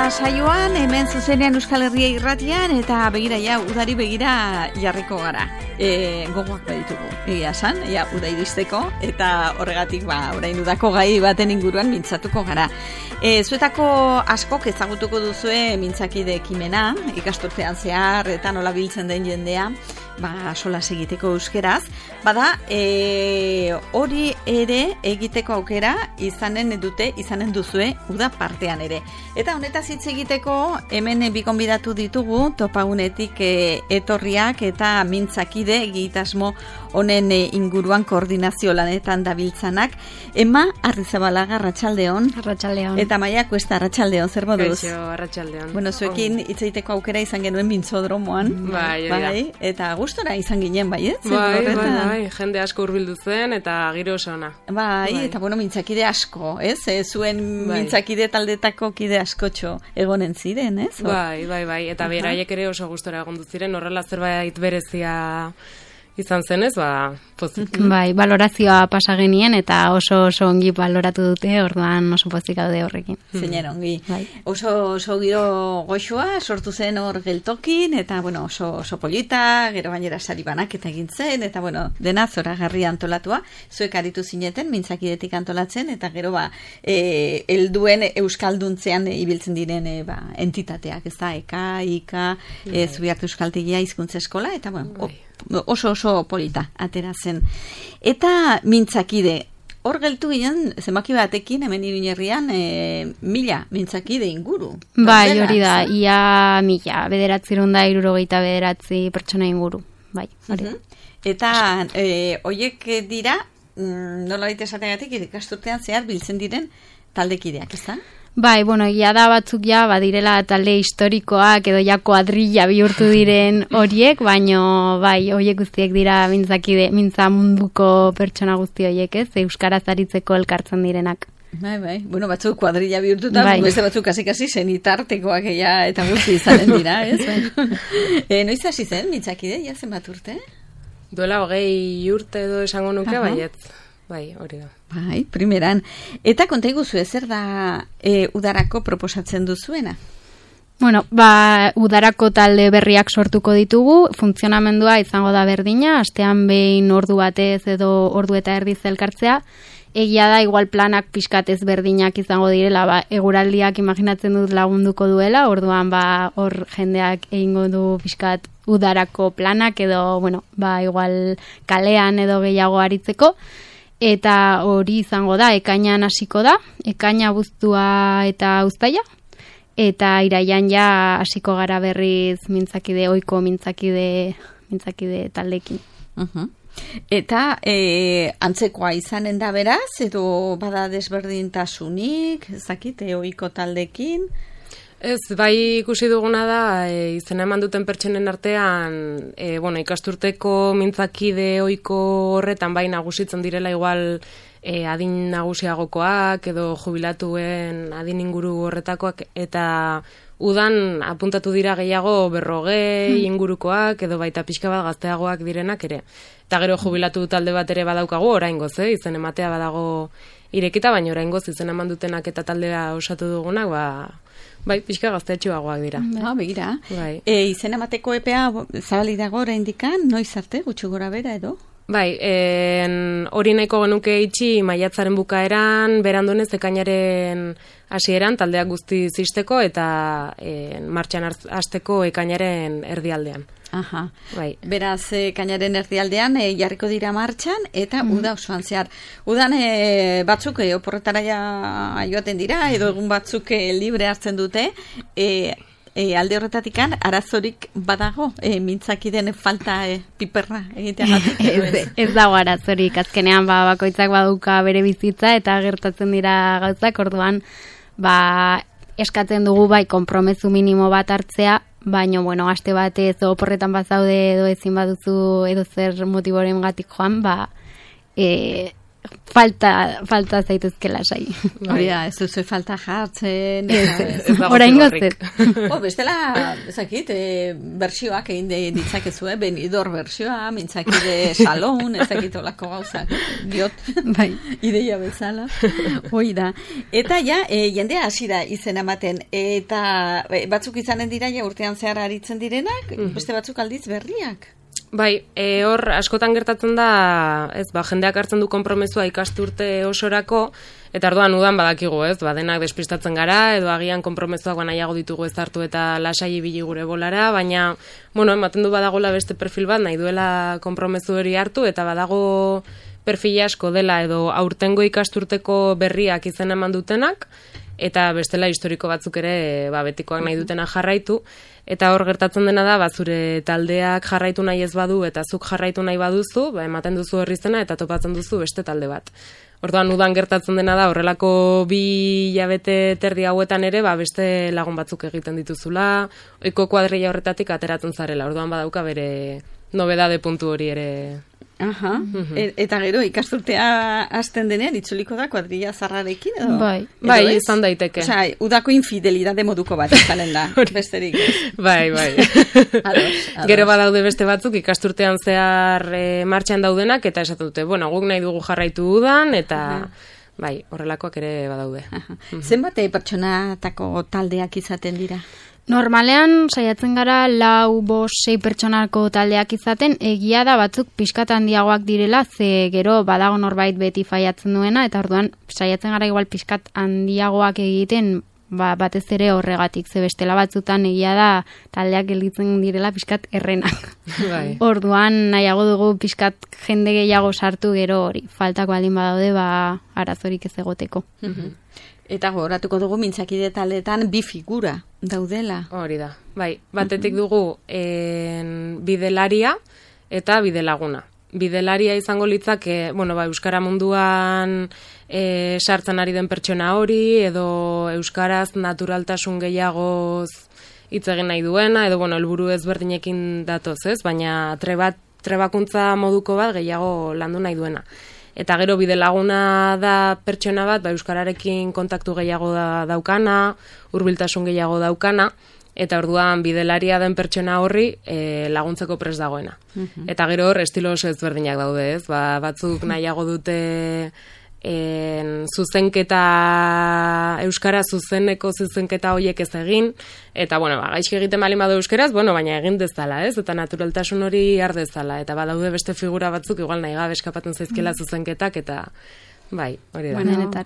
da saioan, hemen zuzenean Euskal Herria irratian, eta begira ja, udari begira jarriko gara. Gogoak baditugu, egia san, uda iristeko, eta horregatik, orain udako gai baten inguruan mintzatuko gara. Zuetako askok ezagutuko duzue mintzakide ekimena, ikasturtean zehar, eta nola biltzen den jendea, solas egiteko euskeraz, bada, hori ere egiteko aukera izanen duzue uda partean ere. Eta honetaz hitz egiteko hemen bi gonbidatu ditugu topagunetik etorriak eta mintzakide egitasmo honen inguruan koordinazio lanetan dabiltzanak. Ema Arrizabalaga, arratsaldeon. Arratsaldeon. Eta Maia Kuesta, arratsaldeon, zer moduz? Kaixo, arratsaldeon. Bueno, zuekin hitz egiteko aukera izan genuen mintzodromoan. Bai. Eta gustora izan ginen, bai, ez? Bai, jende asko hurbildu zen eta giro oso ona. Bai, eta mintzakide asko, ez? Zuen mintzakide taldetako kide askotxo egonen ziren, ez? Bai, eta beraiek ere oso gustora egondu ziren, horrela zerbait berezia izan zenez, pozik. Bai, balorazioa pasa genien eta oso ongi baloratu dute, orduan oso pozik gaude horrekin. Zeiner ongi. Bai. Oso giro goxoa sortu zen hor geltokin, eta oso polita, gero gainera sari banaketa egin zen, eta dena zoragarri antolatua, zuek aritu zineten, mintzakidetik antolatzen, eta gero helduen euskalduntzean ibiltzen diren entitateak, ez da, EKA, IKA, Zubiarte Euskaltegia Hizkuntza Eskola, eta oso polita atera zen. Eta mintzakide, hor geltu ginen, zenbaki batekin, hemen Iruñerrian, 1000 mintzakide inguru. Bai, hori da, ia 1000, 969 pertsona inguru. Bai, hori. Eta horiek dira, nola baita esategatik, ikasturtean zehar biltzen diren taldekideak, ez da? Bai, egia da batzuk badirela talde historikoak edo kuadrilla bihurtu diren horiek, baino horiek guztiek dira mintza munduko pertsona guzti horiek, ez? Euskaraz aritzeko elkartzen direnak. Bai, batzuk kuadrilla bihurtuta, beste batzuk kasi senitartekoak eta guzti izanen dira, ez? Noiz hasi zen mintzakide, zenbat urte? Duela 20 urte edo esango nuke, baietz. Bai, hori da. Bai, primeran. Eta konta iguzu, zer da udarako proposatzen duzuena? Udarako talde berriak sortuko ditugu, funtzionamendua izango da berdina, astean behin ordu batez edo ordu eta erdiz elkartzea, egia da igual planak pixkatez berdinak izango direla, eguraldiak imaginatzen dut lagunduko duela, orduan hor jendeak egingo du pixkat udarako planak edo, igual kalean edo gehiago aritzeko, eta hori izango da, ekainan hasiko da, ekaina abuztua eta uztaila, eta iraian hasiko gara berriz ohiko mintzakide taldekin. Eta antzekoa izanen da beraz, edo bada desberdintasunik, ezakite ohiko taldekin? Ez, bai ikusi duguna da, izena eman duten pertsonen artean, ikasturteko mintzakide ohiko horretan bai nagusitzen direla igual adin nagusiagokoak edo jubilatuen adin inguru horretakoak, eta udan apuntatu dira gehiago 40 ingurukoak edo baita pixka bat gazteagoak direnak ere. Eta gero jubilatu talde bat ere badaukagu oraingoz, izen ematea badago irekita, baina oraingoz izen eman dutenak eta taldea osatu dugunak, bai, pixka gazteatxoagoak dira. Begira. Izen emateko epea zabalik dago oraindikan, noiz arte, gutxi gora bera edo? Bai, hori nahiko genuke itxi maiatzaren bukaeran, berandunez ekainaren hasieran taldeak guzti zisteko eta martxan hasteko ekainaren erdialdean. Aha. Bai. Beraz, ekainaren erdialdean jarriko dira martxan eta uda osoan zehar. Udan batzuk oporretara joaten dira edo egun batzuk libre hartzen dute, alde horretatikan arazorik badago, mintzakiden falta piperra egiteagatik. Ez dago arazorik, azkenean bakoitzak baduka bere bizitza eta gertatzen dira gauzak, orduan eskatzen dugu konpromezu minimo bat hartzea, baina, aste batez oporretan bazaude edo ezin baduzu edo zer motiboren gatik joan, falta zaitezke lasai. Hori da, ez duzu falta jartzen. Oraingoz ez. Bestela, ezakit, bersioak egin ditzakezue, benidor bersioa, mintzakide salon, ezakit olako gauzak, diot, Bai. ideia bezala. Hoi da. Eta ja, jendea hasi da izen ematen, eta batzuk izanen dira ja urtean zehar aritzen direnak, beste batzuk aldiz berriak. Bai, hor askotan gertatzen da, jendeak hartzen du konpromezua ikasturte osorako, eta orduan udan badakigu, denak despistatzen gara, edo agian konpromezuak nahiago ditugu ez hartu eta lasai ibili gure bolara, baina, ematen du badagola beste perfil bat, nahi duela konpromezu hori hartu, eta badago perfil asko dela, edo aurtengo ikasturteko berriak izen eman dutenak, eta bestela historiko batzuk ere betikoak nahi dutena jarraitu, eta hor gertatzen dena da, zure taldeak jarraitu nahi ez badu, eta zuk jarraitu nahi baduzu, ematen duzu horri zena, eta topatzen duzu beste talde bat. Orduan udan gertatzen dena da, horrelako 2 hilabete terdi hauetan ere, beste lagun batzuk egiten dituzula, ohiko kuadrilla horretatik ateratzen zarela, orduan badauka bere nobedade puntu hori ere. Aha. Eta gero ikasturtea hasten denean itzuliko da kuadrilla zarrarekin edo? Bai, izan daiteke. Osea, udako infidelidade moduko bat izanen da, besterik. Bai. Ados. Gero badaude beste batzuk ikasturtean zehar martxan daudenak, eta esaten dute, guk nahi dugu jarraitu udan, eta bai, horrelakoak ere badaude. Zenbat pertsonatako taldeak izaten dira? Normalean, saiatzen gara 4, 5, 6 pertsonako taldeak izaten, egia da batzuk pixkat handiagoak direla, ze gero badago norbait beti faiatzen duena, eta orduan saiatzen gara igual pixkat handiagoak egiten, batez ere horregatik, ze bestela batzutan egia da taldeak gelditzen direla pixkat errenak. Bai. Orduan nahiago dugu pixkat jende gehiago sartu gero hori, faltako aldin badaude, arazorik ez egoteko. Eta gogoratuko dugu mintzakide taldeetan 2 figura daudela. Hori da, bai. Batetik dugu bidelaria eta bidelaguna. Bidelaria izango litzake, euskara munduan sartzen ari den pertsona hori, edo euskaraz naturaltasun gehiagoz hitz egin nahi duena, edo helburu ezberdinekin datoz, baina trebakuntza moduko bat gehiago landu nahi duena. Eta gero bidelaguna da pertsona bat, euskararekin kontaktu gehiago daukana, hurbiltasun gehiago daukana, eta orduan bidelaria den pertsona horri laguntzeko prest dagoena. Eta gero hor estilo oso ezberdinak daude, batzuk nahiago dute zuzenketa, euskara zuzeneko zuzenketa horiek ez egin, eta gaizki egiten bali badu euskeraz, baina egin dezala, eta naturaltasun hori har dezala, eta badaude beste figura batzuk, igual nahi gabe eskapatzen zaizkela zuzenketak, eta bai, hori da.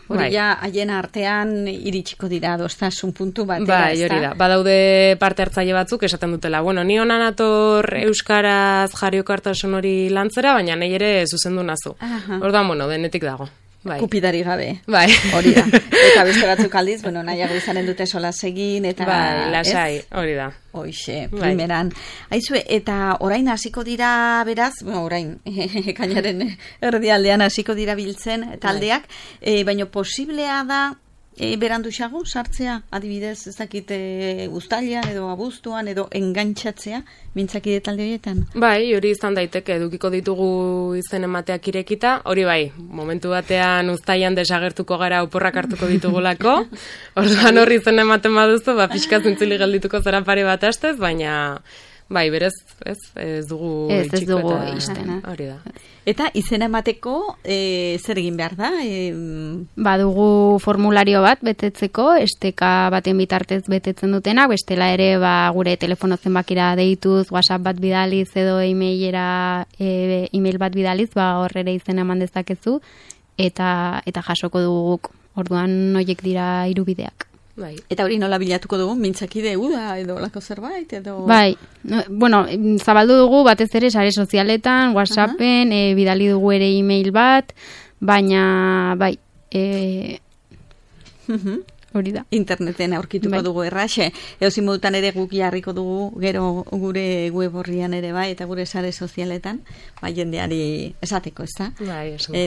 Hori ja, haien artean iritsiko dira adostasun puntu batera, bai, hori da. Badaude parte hartzaile batzuk esaten dutela, ni hona nator euskaraz jarriokartasun hori lantzera, baina nahi ere zuzendu nazu. Orduan, denetik dago. Bai. Kupidari gabe. Bai. Hori da. Eta beste batzuk aldiz, nahiago izanen dute sola egin, eta... Bai, lasai, hori da. Hoixe, primeran. Aizue, eta orain hasiko dira beraz, orain, ekainaren erdialdean hasiko dira biltzen taldeak, baina posiblea da beranduxago sartzea, adibidez, ez dakit uztailean edo abuztuan edo engantxatzea mintzakide talde horietan? Bai, hori izan daiteke, edukiko ditugu izen emateak irekita, hori bai, momentu batean uztailean desagertuko gara oporrak hartuko ditugulako, orduan horri izen ematen baduzu, pixka zintzili geldituko zera pare bat astez, baina... Bai, berez, ez dugu itxiko izten. Hori da. Eta izena emateko zer egin behar da? Badugu formulario bat betetzeko, esteka baten bitartez betetzen dutenak, bestela ere gure telefono zenbakira deituz, WhatsApp bat bidaliz edo email bat bidaliz, horrere izena eman dezakezu, eta jasoko duguk. Orduan horiek dira 3 bideak. Bai. Eta hori nola bilatuko dugu, mintzakide uda edo lako zerbait, edo... Bai, zabaldu dugu batez ere sare sozialetan, WhatsAppen, bidali dugu ere email bat, baina, bai... hori da. Interneten aurkituko dugu erraxe. Edozein modutan ere guk jarriko dugu gero gure web orrian ere bai, eta gure sare sozialetan, jendeari esateko, ez da?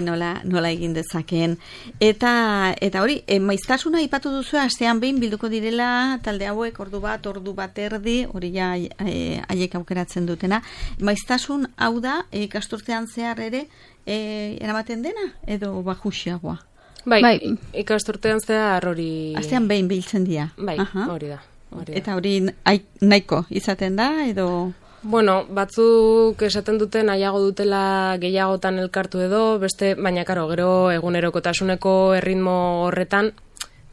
Nola egin dezakeen. Eta hori, maiztasuna aipatu duzu, astean behin bilduko direla talde hauek ordu bat erdi, hori ja haiek aukeratzen dutena. Maiztasun hau da, ikasturtean zehar ere eramaten dena, edo bajuxiagoa? Bai, ikasturtean zehar hori... Astean behin biltzen dira. Bai, hori da. Eta hori nahiko izaten da, edo... Bueno, batzuk esaten duten nahiago dutela gehiagotan elkartu edo, beste, baina karo, gero egunerokotasuneko erritmo horretan,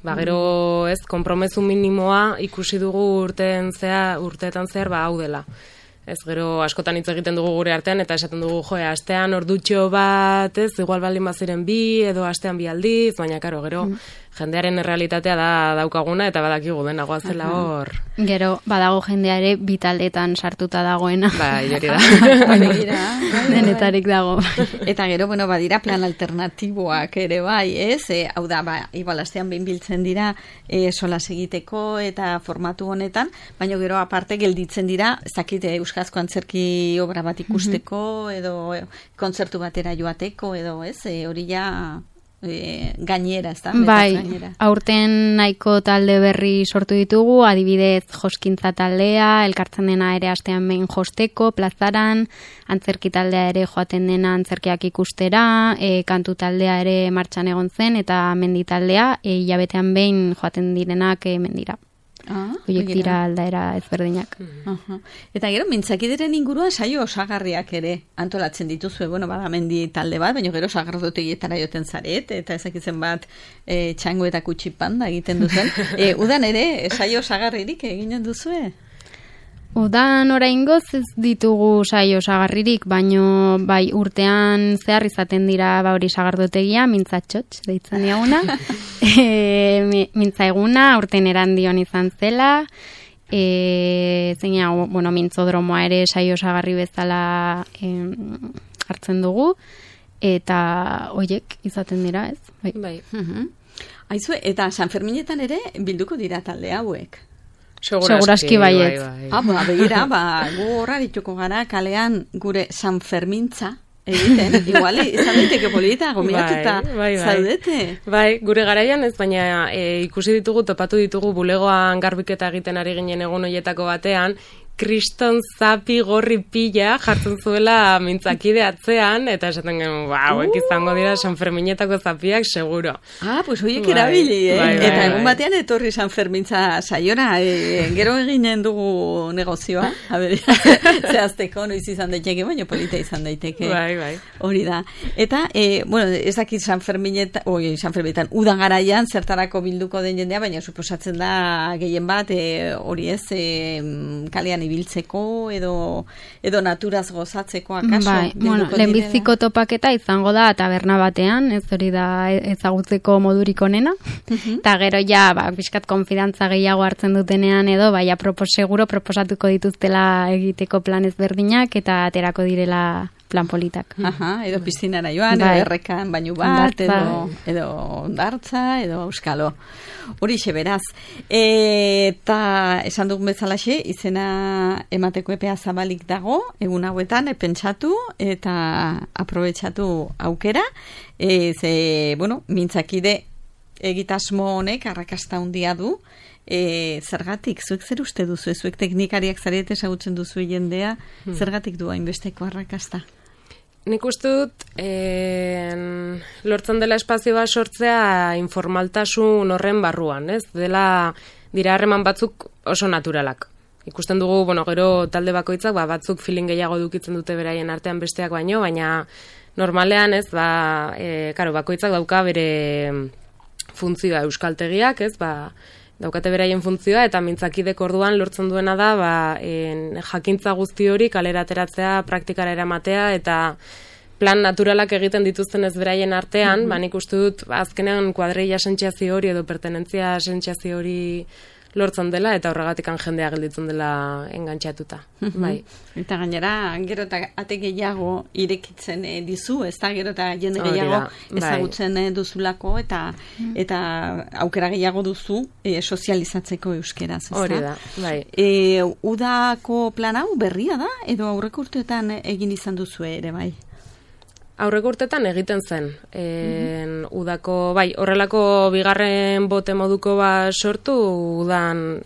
gero ez, konpromezu minimoa ikusi dugu urteetan zehar, hau dela. Ez, gero askotan hitz egiten dugu gure artean, eta esaten dugu, astean ordutxo bat, ez, igual baldin baziren bi, edo astean bi aldiz, baina karo, gero jendearen errealitatea daukaguna, eta badakigu dena goazela hor. Gero, badago jendeare bitaldetan sartuta dagoena. Bai, hori da. Denetarik dago. Eta gero, badira plan alternatiboak ere bai, ez? Hau da, igual astean behin biltzen dira solas egiteko eta formatu honetan, baina gero aparte gelditzen dira, ez dakit euskarazko antzerki obra bat ikusteko, edo kontzertu batera joateko, edo ez? Hori ja... gainera, ez da? Bai, aurten nahiko talde berri sortu ditugu, adibidez joskintza taldea, elkartzen dena ere astean behin josteko, plazaran, antzerki taldea ere joaten dena antzerkiak ikustera, kantu taldea ere martxan egon zen, eta mendi taldea, hilabetean behin joaten direnak mendira. Horiek dira aldaera ezberdinak. Eta gero, mintzakideren inguruan saio osagarriak ere antolatzen dituzue, bada mendi talde bat, baina gero sagardotegietara joten zaret, eta ezakitzen bat txango eta kutsipanda egiten duzen. Udan ere, saio osagarririk eginen duzue? Udan oraingoz ez ditugu saio osagarririk, baino bai urtean zehar izaten dira hori sagardotegia, mintzatxotx deitzen diaguna. Mintza eguna, urten erandion izan zela, mintzodromoa ere saio osagarri bezala hartzen dugu, eta hoiek izaten dira, ez? Bai. Aizu, eta San Ferminetan ere bilduko dira talde hauek? Seguraski baiet. Begira, gu horra dituko gara kalean gure San Fermintza egiten, igual, izan daiteke polita, gomiatuta zaudete. Bai, gure garaian ez, baina ikusi ditugu, topatu ditugu bulegoan garbiketa egiten ari ginen egun horietako batean, kriston zapi gorri pila jartzen zuela mintzakide atzean, eta esaten genuen, hauek izango dira San Ferminetako zapiak, seguro. Pues hoiek erabili, eta egun batean etorri San Fermintza saiora, gero eginen dugu negozioa, zehazteko, noiz izan daiteke, baina polita izan daiteke. Bai. Hori da. Eta, ez dakit San Ferminetan, udan garaian, zertarako bilduko den jendea, baina suposatzen da gehien bat, hori ez, kalean ibiltzeko edo naturaz gozatzeko akaso. Bai, lehenbiziko topaketa izango da taberna batean, ez hori da ezagutzeko modurik onena, eta gero ja, pixkat konfidantza gehiago hartzen dutenean edo, seguro proposatuko dituztela egiteko plan ezberdinak eta aterako direla plan politak. Edo piztinara joan, edo errekan bainu bat, edo ondartza, edo euskalo. Horixe beraz. Eta esan dugun bezalaxe, izena emateko epea zabalik dago, egun hauetan, pentsatu eta aprobetxatu aukera. Mintzakide egitasmo honek arrakasta handia du. Zergatik, zuek zer uste duzu, zuek teknikariak zarete ezagutzen duzu jendea, zergatik du hainbesteko arrakasta? Nik uste dut, lortzen dela espazio bat sortzea informaltasun horren barruan, ez? Dira harreman batzuk oso naturalak. Ikusten dugu, gero talde bakoitzak, batzuk feeling gehiago dukitzen dute beraien artean besteak baino, baina normalean, ez, bakoitzak dauka bere funtzioa euskaltegiak, ez, daukate beraien funtzioa, eta mintzakidek orduan lortzen duena da, jakintza guzti hori kalera ateratzea, praktikara eramatea, eta plan naturalak egiten dituzten ez beraien artean, nik uste dut, azkenean kuadreia sentziazio hori edo pertenentzia sentziazio hori lortzen dela, eta horregatikan jendea gelditzen dela engantxatuta. Bai. Eta gainera, gero eta ate gehiago irekitzen dizu, ez da, gero eta jende gehiago ezagutzen duzulako, eta aukera gehiago duzu sozializatzeko euskeraz, ez da? Hori da, bai. Udako plan hau berria da, edo aurreko urteetan egin izan duzu ere, bai? Aurreko urtetan egiten zen. Udako, bai, horrelako bigarren bote moduko sortu udan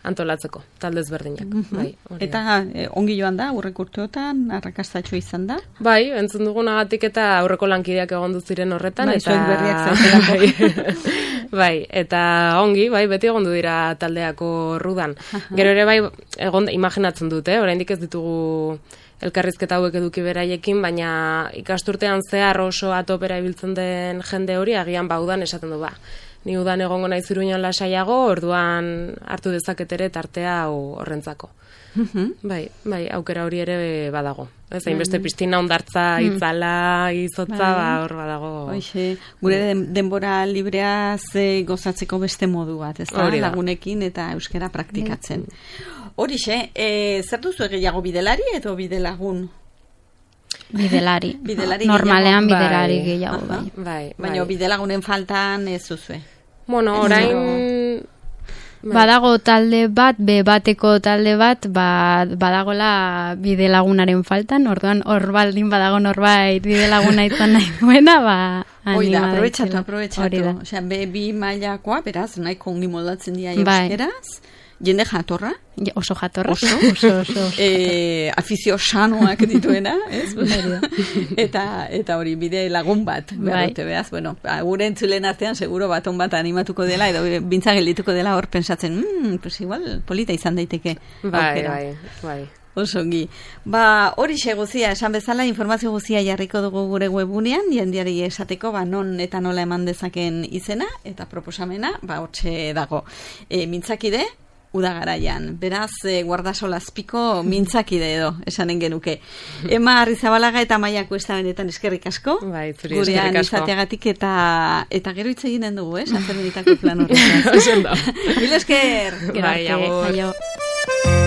antolatzeko, taldez berdinak. Bai, eta ongi joan da, aurreko urteotan, arrakastatxo izan da? Bai, entzun dugunagatik eta aurreko lankideak egon ziren horretan. Bai, zuek berriak zaudelako. Bai, eta ongi, bai, beti egondu dira taldeako rudan. Gero ere bai, imaginatzen dut, oraindik ez ditugu elkarrizketa hauek eduki beraiekin, baina ikasturtean zehar oso atopera ibiltzen den jende hori, agian udan esaten du ni udan egongo naiz Iruñan lasaiago, orduan hartu dezaket ere tartea horrentzako. Bai, aukera hori ere badago. Ez hainbeste piztina hondartza, itzala, izotza, hor badago. Hoxe, gure denbora libreaz gozatzeko beste modu bat, ez da, lagunekin eta euskara praktikatzen. Horixe, zer duzu gehiago bidelari edo bidelagun? Bidelari. Normalean bidelari gehiago, bai. Baina bidelagunen faltan ez duzue? Bueno, orain... Badago talde bat, bateko talde bat, badagola bidelagunaren faltan, orduan hor baldin badago norbait bidelaguna izan nahi duena, Oida, aprobetxatu. Osea, bi mailakoa, beraz, nahiko ongi moldatzen dira euskeraz. Jende jatorra? Oso jatorra. Oso. Afizio sanoak dituena, ez? Eta hori, bide lagun bat, beharrote, behaz. Bueno, gure entzulen artean, seguro baton bat animatuko dela, edo bintza geldituko dela hor pensatzen, pues igual, polita izan daiteke. Bai. Osongi. Horixe guzia, esan bezala, informazio guzia jarriko dugu gure webunean, jendeari esateko, non eta nola eman dezaken izena, eta proposamena, hortxe dago. Mintzakide, udagaraian. Beraz, guardasola azpiko mintzakide edo, esanen genuke. Ema Arrizabalaga eta Maia Kuesta benetan eskerrik asko. Bai, zuri eskerrik asko. Gurean izateagatik eta gero hitz eginen dugu, Azermenitako plan horretaz. Oso ondo. Mil esker. Bai, agur.